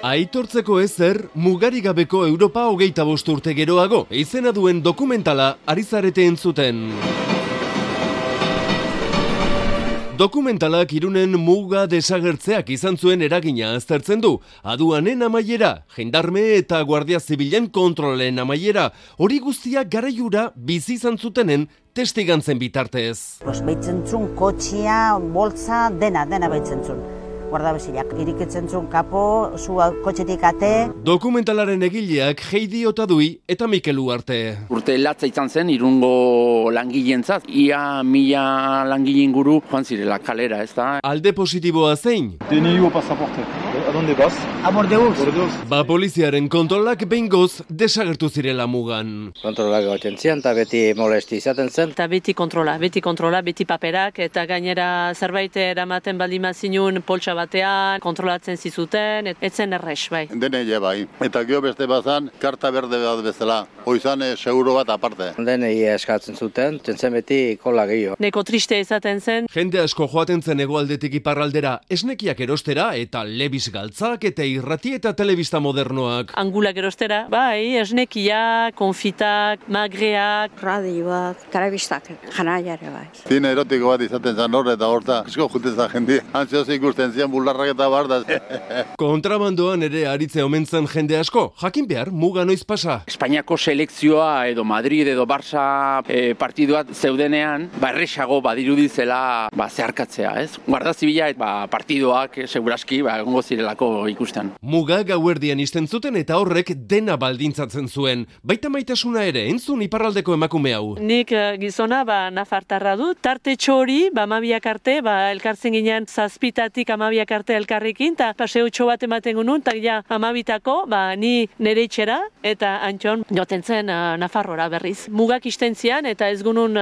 Aitortzeko ezer, mugarigabeko Europa 25 urte geroago, izena duen dokumentala ari zarete entzuten. Dokumentalak Irunen muga desagertzeak izan zuen eragina aztertzen du. Aduanen amaiera, jendarme eta guardia zibilen kontrolen amaiera, hori guztiak garaiura bizi izan zutenen testigantzen bitartez. Baitzen zuen kotxia, boltza, dena baitzen zuen. Guardabesiak irikitzen zuen kapo, zua kotxetik ate. Dokumentalaren egileak Heidi Otadui eta Mikel Uarte. Urte latza izan zen Irungo langileentzat, ia 1000 langile inguru joan zirela kalera, ez da? Alde positiboa zein? DNI pasaporte. ¿A dónde vas? A Bordeus. Ba poliziaren kontrolak behingoz desagertu zirela mugan. Kontrolak goten zian, eta beti molesti izaten zen. Eta beti kontrola, beti paperak, eta gainera zerbait eramaten baldin zinun poltsa batean, kontrolatzen zizuten, etzen errex, bai. Denei bai, eta gero beste bazan, karta berde bat bezala, oizan seguro bat aparte. Denei eskatzen zuten, zen beti kola gehiago. Neko triste izaten zen. Jende asko joaten zen hegoaldetik iparraldera, esnekiak erostera eta lebis galtzak eta irrati eta telebista modernoak. Angulak erostera, bai, esnekiak, konfitak, magreak, radioak, telebistak, janaiare bai. Zine erotiko bat izaten zen hor eta horta, esko juten zen jendia. Antzioz ikusten zian bularrak eta barda. Kontrabandoan ere aritze omen zen jende asko, jakin behar muga noiz pasa. Espainiako selekzioa edo Madrid edo Barça partiduat zeudenean, erresago badirudizela zeharkatzea, ez? Guarda zibila partidoak seguraski egongo zirelako ikusten. Muga gauerdian izten zuten eta horrek dena baldintzatzen zuen. Baita maitasuna ere, entzun iparraldeko emakume hau. Nik gizona nafartarra dut, tarte txori, 12 arte, elkartzen ginen zazpitatik 12 arte elkarrekin, eta paseutxo bat ematen gunun, eta ja 12tako, ni nere itxera, eta antxon joten zen Nafarrora berriz. Mugak izten zian, eta ez gunun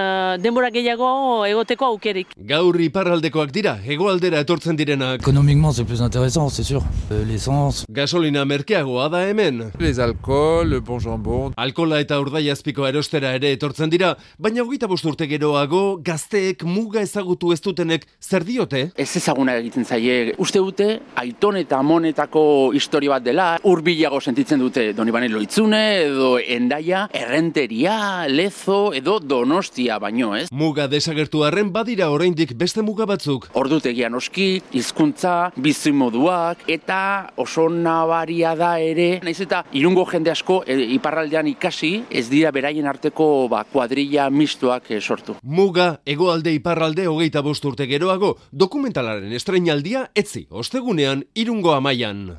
denbora gehiago egoteko aukerik. Gaur iparraldekoak dira, hegoaldera etortzen direnak. Économiquement, c'est plus intéressant, c'est sûr. L'essence. Gasolina merkeagoa da hemen. Les alcohol, le bon jambon. Alkola eta urdaiazpiko erostera ere etortzen dira, baina 25 urte geroago gazteek muga ezagutu ez dutenek zer diote? Ez ezaguna egiten zaie. Uste dute, aiton eta amonetako historia bat dela, hurbilago sentitzen dute Donibane Loitzune, edo Hendaia, Errenteria, Lezo, edo Donostia baino, ez? Muga desagertu arren badira oraindik beste muga batzuk. Ordutegia noski, hizkuntza, bizimoduak, eta oso nabaria da ere, naiz eta Irungo jende asko iparraldean ikasi, ez dira beraien arteko kuadrilla mistoak sortu. Muga, hegoalde iparralde 25 urte geroago, dokumentalaren estreinaldia etzi, ostegunean Irungo Amaian.